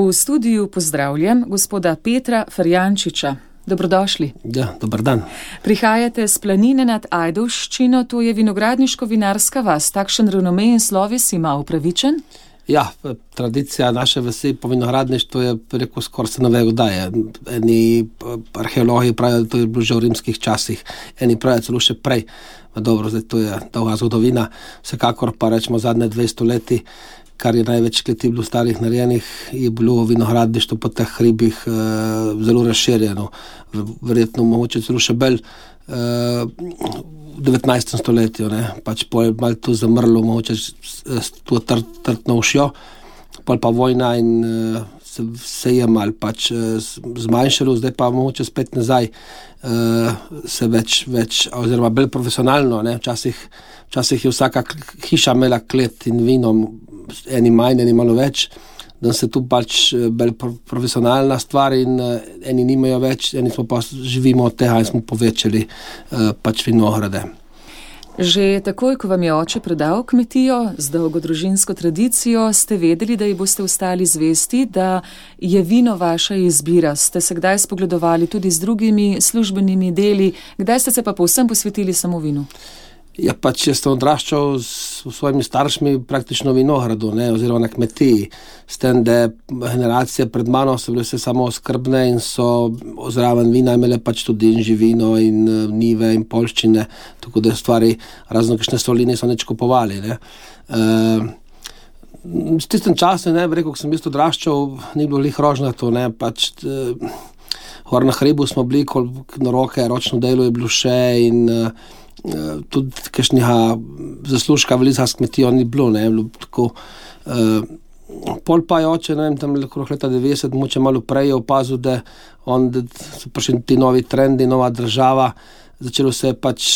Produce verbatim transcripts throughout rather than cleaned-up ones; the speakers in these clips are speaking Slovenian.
V studiu pozdravljam gospoda Petra Ferjančiča. Dobrodošli. Ja, dober dan. Prihajate z planine nad Ajdovščino, to je vinogradniško-vinarska vas. Takšen renome in sloves ima upravičen? Ja, tradicija naše vasi po vinogradništvu je preko skoraj se novega daje. Eni arheologi pravijo, da to je bilo že v rimskih časih, eni pravijo celo še prej. Dobro, zdaj to je dolga zgodovina, vsekakor pa rečemo zadnje dvesto leti, kar je največ kleti bilo starih narejenih, je bilo vinogradništvo po teh hribih e, zelo razširjeno. Verjetno mogoče celo še bolj e, v devetnajstem stoletju, ne, pač pol je malo to zamrlo, mogoče to trt, trtno ušjo, pol pa vojna in e, se, se je malo pač e, zmanjšalo, zdaj pa mogoče spet nazaj e, se več, več, oziroma bolj profesionalno, ne, včasih, včasih je vsaka hiša imela klet in vino, eni manj, eni malo več, da se tu pač bolj profesionalna stvar in eni nimajo več, eni smo pa živimo od tega in smo povečali pač vinograde. Že takoj, ko vam je oče predal kmetijo z dolgo družinsko tradicijo, ste vedeli, da ji boste ostali zvesti, da je vino vaša izbira. Ste se kdaj spogledovali tudi z drugimi službenimi deli, kdaj ste se pa povsem posvetili samo vinu? Ja, pač jaz sem odraščal s svojimi staršmi praktično v vinogradu, ne, oziroma na kmetiji. S tem, da generacije pred mano so bile vse samo skrbne in so zraven vina imele pač tudi in živino in nive in poljščine, tako da stvari razno kakšne soli niso nič kupovali. Ne. E, s tistem času, ne, rekel, ko sem jaz odraščal, ni bilo lih rožnato, ne, pač e, gor na hribu smo bili, ko na roke, ročno delo je bilo še in Uh, tudi kakšnega zaslužka velika s kmetijo ni bilo, ne, bilo tako. Uh, pol pa je oče, ne vem, tam okrog leta devetdeset, moče malo prej je opazil, da, on, da so prišli ti novi trendi, nova država, začelo se je pač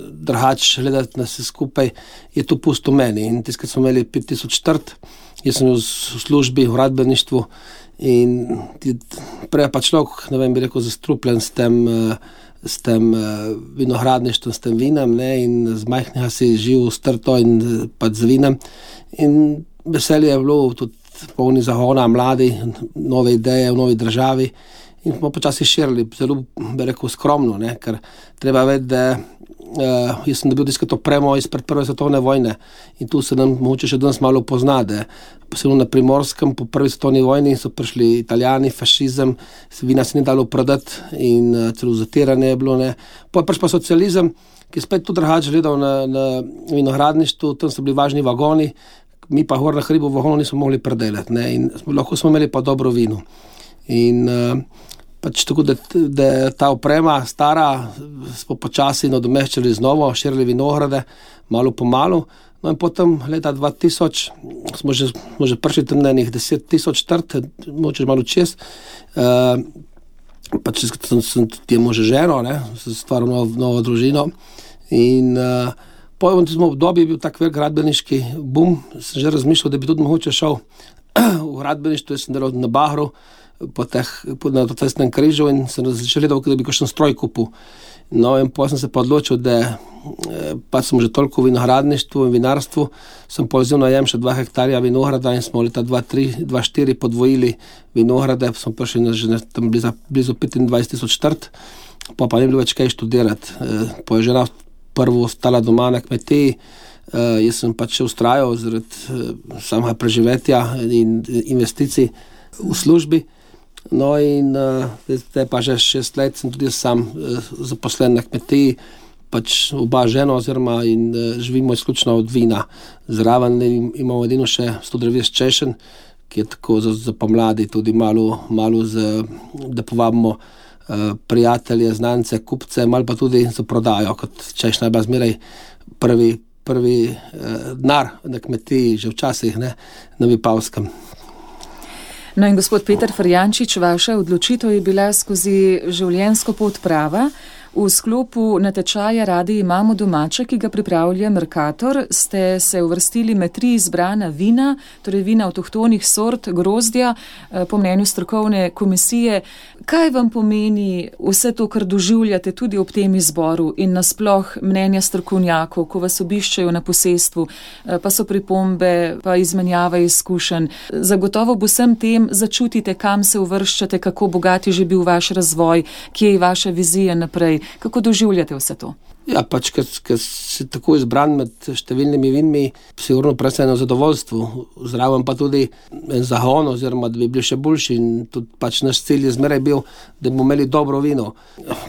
drugač gledati na vse skupaj, je to pusto meni. In tiskaj smo imeli pet tisoč četrt, jaz sem v službi, v gradbeništvu in prej pa človek, ne vem, bi rekel, zastrupljen s tem uh, s tem uh, vinogradništvom, s tem vinem, ne, in z majhnega si živ strto in pač z vinem. In veselje je bilo tudi polni zagona, mladi, nove ideje v novi državi in smo počasi širili, zelo bi rekel skromno, ne, ker treba vedeti, da uh, jaz sem dobil tisto opremo izpred prve svetovne vojne in tu se nam mogoče še danes malo pozna, da posebno na Primorskem po prvi svetovni vojni so prišli Italijani, fašizem, vina se ni dalo prodati in uh, celo zatiranje je bilo, ne. Pa pač pa socializem, ki je spet tudi drugače gledal na, na vinogradništvu, tam so bili važni vagoni, mi pa gor na hribu vagonov nismo mogli predelati, ne, in smo, lahko smo imeli pa dobro vino. In uh, pač tako, da, da ta oprema stara smo počasi nadomeščali z novo, širili vinograde, malo po malo. No in potem leta dva tisoč smo že, smo že prišli tam na enih deset tisoč trt, moče malo čez. Uh, pač sem, sem tudi može ženo, ne, sem stvaril novo, novo družino. In uh, po tem obdobju je bil tak velik gradbeniški bum, sem že razmišljal, da bi tudi mogoče šel v gradbeništvo, jaz sem delal na Bahru, po teh, po, na cestnem križu in sem začel gledal, da bi kakšen stroj kupil. No in potem sem se pa odločil, da eh, pa sem že toliko v vinogradništvu in vinarstvu, sem povzel najem še dva hektarja vinograda in smo leta dva tri, dva štiri podvojili vinograde, smo prišli na že tam blizu, blizu petindvajset tisoč trt, pa pa ni bilo več kaj študirati. Eh, po je žena prvo ostala doma na kmetiji, eh, jaz sem pač še ustrajal zaradi eh, samega preživetja in investicij v službi. No in uh, zdaj pa že šest let sem tudi sam uh, zaposlen na kmetiji, pač oba žena oziroma in uh, živimo izključno od vina. Zraven imamo edino še sto devetdeset češenj, ki je tako za, za pomladi tudi malo, malo z, da povabimo uh, prijatelje, znance, kupce, malo pa tudi za prodajo, kot češnja je bila zmeraj prvi, prvi uh, denar na kmetiji, že včasih, ne, na Vipavskem. No in gospod Peter Ferjančič, vaša odločitev je bila skozi življenjsko pot prava. V sklopu natečaja Radi imamo domače, ki ga pripravlja Mercator, ste se uvrstili med tri izbrana vina, torej vina avtohtonih sort grozdja, po mnenju strokovne komisije. Kaj vam pomeni vse to, kar doživljate tudi ob tem izboru in nasploh mnenja strokovnjakov, ko vas obiščajo na posestvu, pa so pripombe, pa izmenjava izkušenj. Zagotovo bo vsem tem začutite, kam se uvrščate, kako bogat je že bil vaš razvoj, kje je vaša vizija naprej. Kako doživljate vse to? Ja, pač, ker si tako izbran med številnimi vinmi, sigurno predvsem eno zadovoljstvo, zraven pa tudi en zahon, oziroma da bi bili še boljši, in tudi pač naš cilj je zmeraj bil, da bomo imeli dobro vino.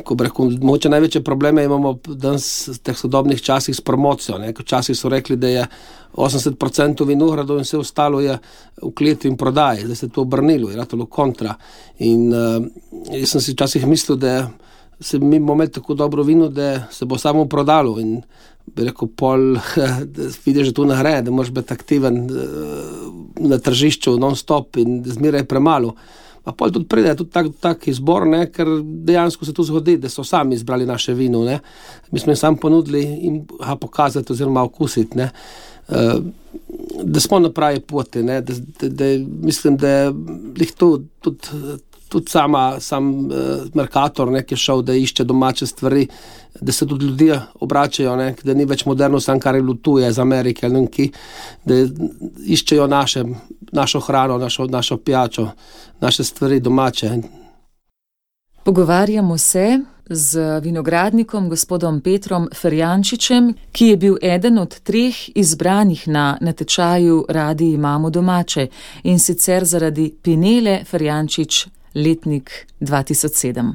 Ko bi rekel, mogoče največje probleme imamo danes v teh sodobnih časih s promocijo, ne, ko časih so rekli, da je osemdeset procentov vinogradov in vse ostalo je v kleti in prodaji, zdaj se to obrnilo, je ratalo kontra. In uh, jaz sem si včasih mislil, da se mi bomo imeli tako dobro vino, da se bo samo prodalo, in bi rekel, pol vidiš, da to ne gre, da moraš biti aktiven na tržišču non-stop in zmeraj premalo. Pa pol tudi pride tudi tak, tak izbor, ne, ker dejansko se to zgodi, da so sami izbrali naše vino, ne. Mi smo jim sam ponudili in ga pokazati oziroma okusiti, ne. Uh, da smo na pravi poti, ne, da, da, da mislim, da jih to tudi tudi sama, sam uh, Mercator, ne, ki je šel, da išče domače stvari, da se tudi ljudje obračajo, ne, da ni več moderno sam, kar je lutuje z Amerike, ali neki, da iščejo naše, našo hrano, našo, našo pijačo, naše stvari domače. Pogovarjamo se z vinogradnikom gospodom Petrom Ferjančičem, ki je bil eden od treh izbranih na natečaju Radi imamo domače, in sicer zaradi Pinele Ferjančič letnik dva tisoč sedem.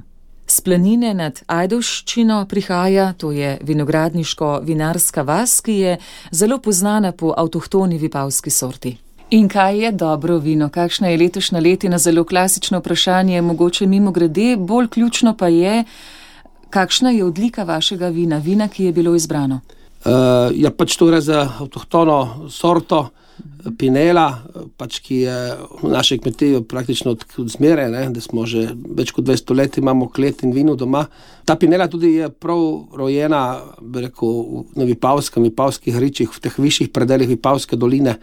S planine nad Ajdovščino prihaja, to je vinogradniško-vinarska vas, ki je zelo poznana po avtohtoni vipavski sorti. In kaj je dobro vino? Kakšna je letošnja letina? Zelo klasično vprašanje, mogoče mimo grede, bolj ključno pa je, kakšna je odlika vašega vina, vina, ki je bilo izbrano? Uh, ja, pač to gre za avtohtono sorto, Pinela, pač, ki je v našej kmetiji praktično od, od zmere, ne, da smo že več kot dvesto let imamo klet in vino doma. Ta Pinela tudi je prav rojena, bi rekel, na Vipavskem, Vipavskih ričih, v teh višjih predelih Vipavske doline,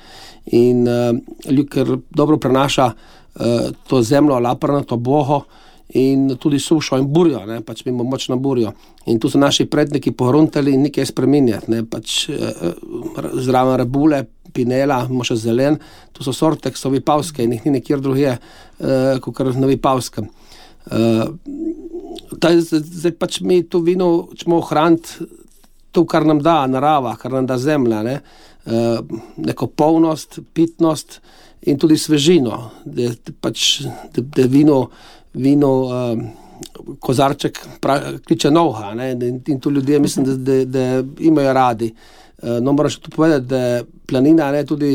in uh, ker dobro prenaša uh, to zemljo, laprnato boho in tudi sušo in burjo, ne, pač mimo močno burjo. In tu so naši predniki pohruntali in nekaj spreminjati, ne, pač uh, zraven rebule, Pinela, moše zelen, to so sorte, ki so vipavske in jih ni nekjer drugje, uh, kot na Vipavskem. Uh, zdaj pač mi to vino ćemo ohraniti to, kar nam da narava, kar nam da zemlja, ne? Uh, neko polnost, pitnost in tudi svežino, da pač da, da vino, vino uh, kozarček pra, kliče novha, ne? In, in to ljudje mislim, da, da, da imajo radi. No, moram še tu povedati, da planina, ne, tudi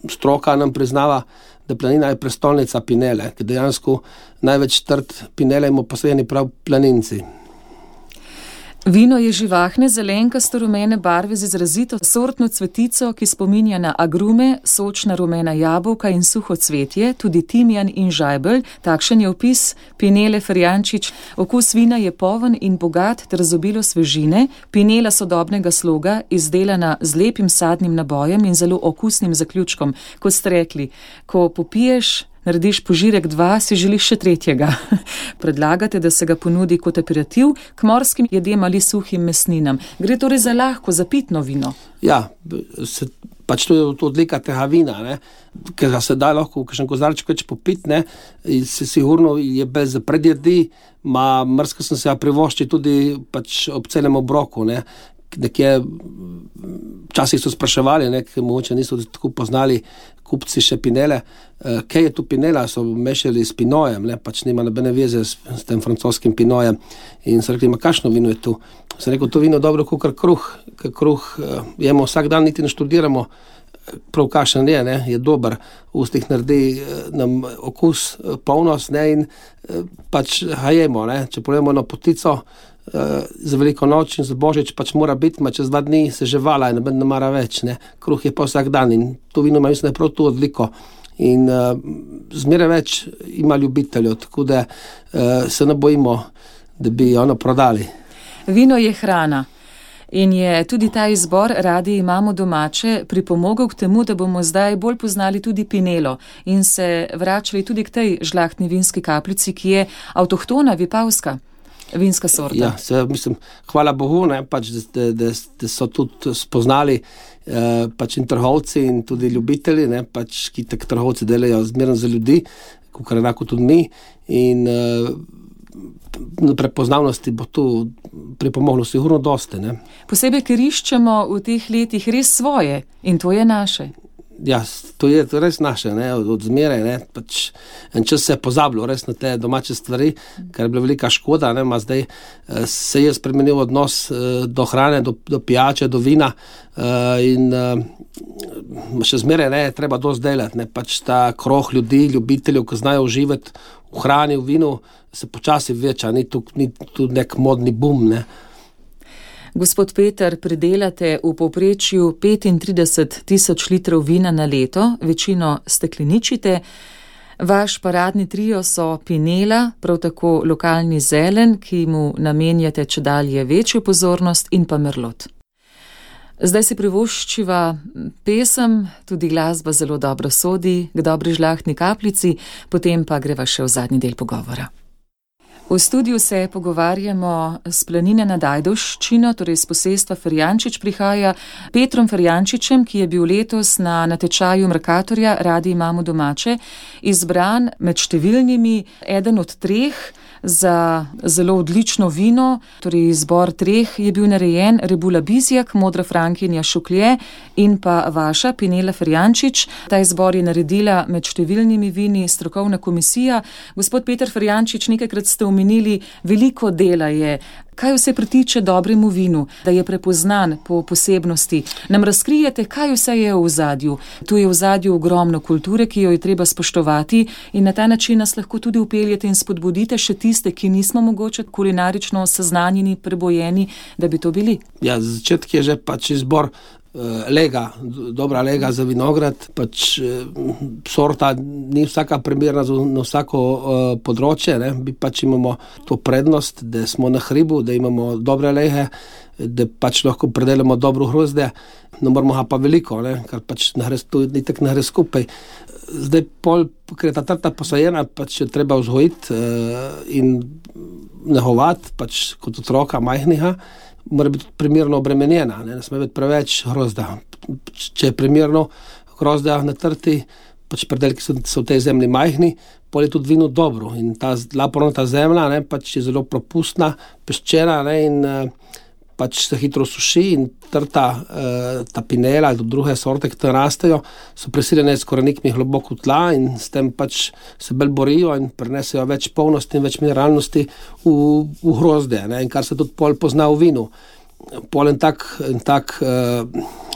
stroka nam priznava, da planina je prestolnica Pinele, ker dejansko največ trt Pinele imamo posajeni prav planinci. Vino je živahne, zelenkasto rumene barve z izrazito sortno cvetico, ki spominja na agrume, sočna rumena jabolka in suho cvetje, tudi timjan in žajbelj. Takšen je opis Pinele Ferjančič. Okus vina je poln in bogat ter z obilo svežine. Pinela sodobnega sloga, izdelana z lepim sadnim nabojem in zelo okusnim zaključkom. Kot ste rekli, ko popiješ, narediš požirek dva, si želiš še tretjega. Predlagate, da se ga ponudi kot aperitiv k morskim jedem ali suhim mesninam. Gre torej za lahko, za pitno vino? Ja, se, pač to je odlika tega vina, ne? Ker ga se da lahko v kakšen kozarček več popit, ne? Se sigurno je bez predjedi, ma mrsko sem se ja privošči tudi pač ob celem obroku, ne? Nekje včasih so spraševali, ne, ker mogoče niso tako poznali kupci še Pinele, uh, kaj je tu Pinela, so mešali s Pinojem, ne, pač nima nobene veze s, s tem francoskim Pinojem, in so rekli, ma kakšno vino je tu? Sem rekel, to vino dobro kakor kruh, ker kruh uh, jemo vsak dan, niti ne študiramo, prav kakšen je, ne, je dober, v ustih naredi uh, nam okus, uh, polnost, ne, in uh, pač ga jemo, ne, če pojemo eno potico, Uh, za veliko noč in za božič pač mora biti, ma čez dva dni se že vala in ne mara več, ne. Kruh je pa vsak dan in to vino ima, mislim, da je prav to odliko. In uh, zmeraj več ima ljubiteljev, tako da uh, se ne bojimo, da bi ono prodali. Vino je hrana. In je tudi ta izbor Radi imamo domače pripomogel k temu, da bomo zdaj bolj poznali tudi Pinelo in se vračali tudi k tej žlahtni vinski kapljici, ki je avtohtona vipavska vinska sorta. Ja, se, mislim, hvala Bogu, ne, pač, da, da, da so tudi spoznali eh, pač in trgovci in tudi ljubitelji, ne, pač, ki tak trgovci delajo zmerno za ljudi, kakor enako tudi mi, in eh, prepoznavnosti bo tu pripomoglo sigurno dosti. Ne? Posebej, ker iščemo v teh letih res svoje in to je naše. Ja, to je res naše, ne? Od, od zmeraj. Ne? Pač en čas se je pozabilo res na te domače stvari, kar je bila velika škoda. Ne? Ma zdaj eh, se je spremenil odnos eh, do hrane, do, do pijače, do vina eh, in eh, še zmeraj ne, treba dosti delati. Ne? Pač ta krog ljudi, ljubiteljev, ki znajo uživati v hrani, v vinu, se počasi veča, ni tu, ni tu nek modni bum, ne. Gospod Peter, pridelate v povprečju petintrideset tisoč litrov vina na leto, večino stekleničite. Vaš paradni trio so Pinela, prav tako lokalni zelen, ki mu namenjate čedalje večjo pozornost, in pa Merlot. Zdaj si privoščiva pesem, tudi glasba zelo dobro sodi k dobri žlahtni kapljici, potem pa greva še v zadnji del pogovora. V studiu se pogovarjamo s planine nad Ajdovščino, torej s posestva Ferjančič prihaja Petrom Ferjančičem, ki je bil letos na natečaju Mercatorja Radi imamo domače izbran med številnimi eden od treh za zelo odlično vino, torej izbor treh je bil narejen: Rebula Bizjak, Modra Frankinja Šuklje in pa vaša Pinela Ferjančič. Ta izbor je naredila med številnimi vini strokovna komisija. Gospod Peter Ferjančič, nekajkrat ste omenili, veliko dela je. Kaj vse pritiče dobremu vinu, da je prepoznan po posebnosti? Nam razkrijete, kaj vse je v ozadju? Tu je v ozadju ogromno kulture, ki jo je treba spoštovati, in na ta način nas lahko tudi upeljete in spodbudite še tiste, ki nismo mogoče kulinarično seznanjeni, prebojeni, da bi to bili. Ja, začetek je že pač izbor lega, dobra lega za vinograd, pač sorta ni vsaka primerna na vsako uh, področje, ne? Mi pač imamo to prednost, da smo na hribu, da imamo dobre lehe, da pač lahko predelamo dobro hrozdje, ne moramo ga pa veliko, ne? Kar pač to ni tak nahre skupaj. Zdaj pol, ker je ta trta posajena, pač je treba vzgojiti uh, in nehovati, pač kot otroka majhnega, mora biti primerno obremenjena, ne, ne sme biti preveč hrozda. Če je primerno hrozda na trti, pač predelki so, so v tej zemlji majhni, pol je tudi vino dobro. In ta lapornata zemlja, ne, pač je zelo propustna, peščena, ne, in pač se hitro suši, in trta, ta Pinela ali druge sorte, ki tam rastejo, so prisiljene s korenikmi globoko v tla in s tem pač se bolj borijo in prenesejo več polnosti in več mineralnosti v, v hrozdje, ne, in kar se tudi pol pozna v vinu. Pol en tak, en tak uh,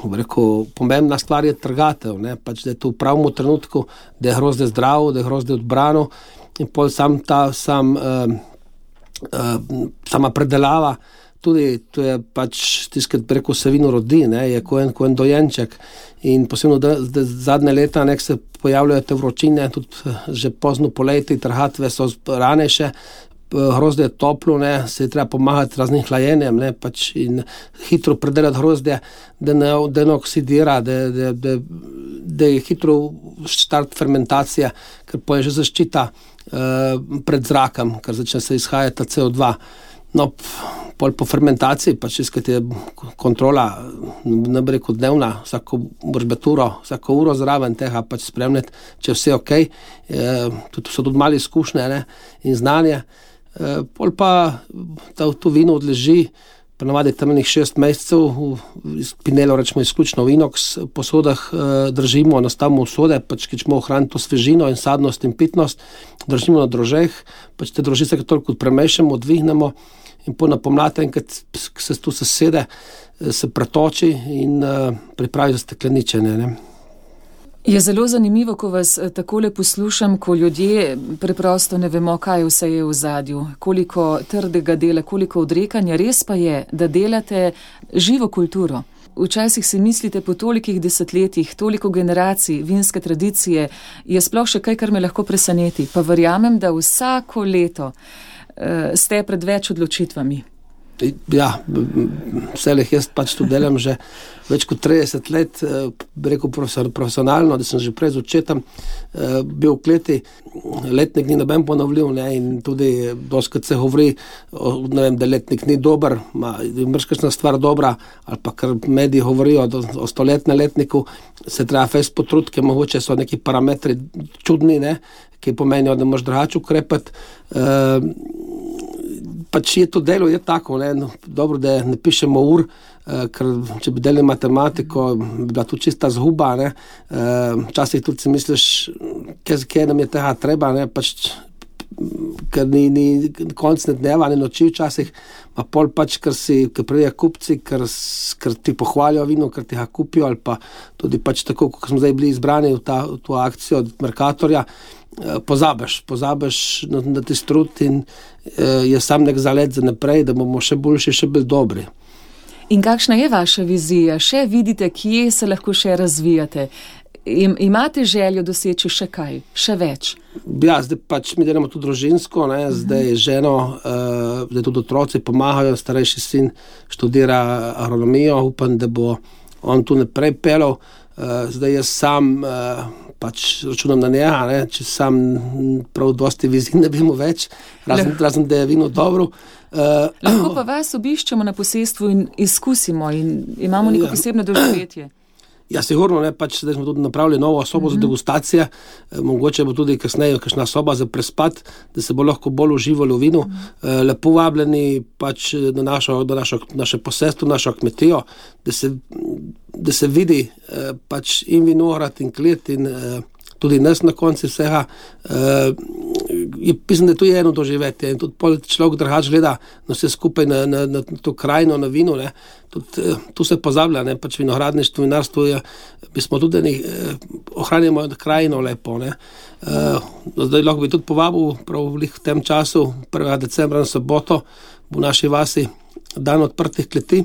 rekel, pomembna stvar je trgatev, ne, pač da je to v pravem trenutku, da je hrozdje zdravo, da je hrozdje odbrano, in pol sam ta, sam, uh, uh, sama predelava, tudi to je pač tiskrat preko se vino rodi, ne, je ko en, ko en dojenček, in posebno da, da zadnje leta nek se pojavljajo te vročine, tudi že pozno poleti, trhatve so ranejše, hrozdje je toplo, ne, se je treba pomagati raznim hlajenjem, ne, pač in hitro predelati hrozdje, da ne, da ne oksidira, da, da, da, da je hitro štart fermentacija, ker pa je že zaščita uh, pred zrakom, ker začne se izhajati C O dva. No, pol po fermentaciji, pač iskati je kontrola, ne bi rekel dnevna, vsako boržbeturo, vsako uro zraven tega pač spremljati, če je vse ok, e, tudi so tudi mali izkušnje, ne, in znanje. E, pol pa ta, to vino odleži, ponavadi tam enih šest mesecev, Pinelo rečemo izključno v inox posodah e, držimo, nastavimo sode, pač ki ćemo ohraniti to svežino in sadnost in pitnost, držimo na drožeh, pač te droži se toliko premešamo, odvihnemo, in po napomlate, enkrat se tu sesede, se pretoči in uh, pripravi za stekleničenje. Ne? Je zelo zanimivo, ko vas takole poslušam, ko ljudje preprosto ne vemo, kaj vse je v zadju, koliko trdega dela, koliko odrekanja. Res pa je, da delate živo kulturo. Včasih si mislite, po tolikih desetletjih, toliko generacij vinske tradicije, je sploh še kaj, kar me lahko preseneti. Pa verjamem, da vsako leto ste pred več odločitvami. Ja, vse leh jaz pač tu delam že več kot trideset let, bi rekel profesionalno, da sem že prej z očetom bil v kleti, letnik ni noben ponovljiv, ne, in tudi doskrat se govori, ne vem, da letnik ni dober, ma, mrškačna stvar dobra, ali pa kar mediji govorijo o stoletnem letniku, se treba fejst potruditi, ker mogoče so neki parametri čudni, ne, ki pomenijo, da moraš drugače ukrepati. Pač je to delo, je tako, ne, no, dobro, da ne pišemo ur, eh, ker če bi delali matematiko, bi bila tu čista zguba, ne, eh, včasih tudi si misliš, kaj, kaj nam je tega treba, ne, pač, ker ni, ni konc ne dneva, ne noči včasih, pa pol pač, ker si, ker pridejo kupci, ker, ker ti pohvalijo vino, ker ti ga kupijo, ali pa tudi pač tako, ko smo zdaj bili izbrani v, ta, v to akcijo od Mercatorja, pozabiš, pozabiš na, na ti strud in eh, je sam nek zalet za naprej, da bomo še boljši, še bolj dobri. In kakšna je vaša vizija? Še vidite, kje se lahko še razvijate? Im, imate željo doseči še kaj, še več? Ja, zdaj pač mi delamo tudi družinsko, ne, uh-huh. Zdaj ženo, uh, zdaj tudi otroci pomagajo, starejši sin študira agronomijo, upam, da bo on tu naprej pelal, uh, zdaj jaz sam uh, pač računam na njega, ne, če sam prav dosti vizij ne bi mu več, razen, razen da je vino dobro. Uh, Lahko pa vas obiščemo na posestvu in izkusimo in imamo neko ja. posebno doživetje. Ja, sigurno, ne, pač zdaj smo tudi napravili novo sobo mm-hmm. za degustacije, e, mogoče bo tudi kasneje kakšna soba za prespat, da se bo lahko bolj uživalo v vinu. Mm-hmm. E, lepo vabljeni pač na našo, na našo, naše posestvo, našo kmetijo, da se, da se vidi e, pač in vinograd in klet in e, tudi nas na konci vsega. E, je, mislim, da to je eno doživetje in tudi pol človek drugače gleda na vse skupaj, na, na, na to krajino, na vino, ne. Tudi, tu se pozablja, ne, pač vinogradništvo, vinarstvo je, mi smo tudi ne, ohranjamo krajino lepo, ne. Uh, zdaj lahko bi tudi povabil, prav v tem času, prvega decembra na soboto, v naši vasi dan odprtih kleti,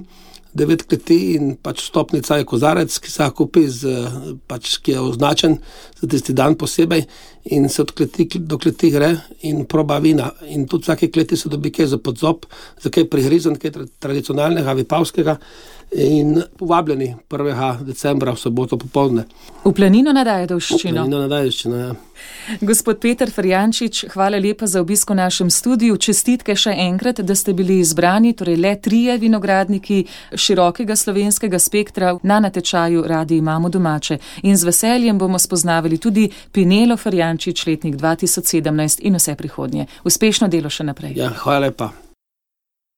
devet kleti in pač vstopnica je kozarec, ki se ga kupi, z, pač, ki je označen za tisti dan posebej in se od kleti do kleti gre in proba vina. In tudi vsake kleti se dobi kaj za podzob, za kaj prihrizan, kaj tradicionalnega, vipavskega in povabljeni prvega decembra v soboto popoldne. V Planino nad Ajdovščino. V Planino nad Ajdovščino, ja. Gospod Peter Ferjančič, hvala lepa za obisk v našem studiu. Čestitke še enkrat, da ste bili izbrani, torej le trije vinogradniki širokega slovenskega spektra na natečaju Radi imamo domače. In z veseljem bomo spoznavali tudi Pinelo Ferjančič, letnik dva tisoč sedemnajst in vse prihodnje. Uspešno delo še naprej. Ja, hvala lepa.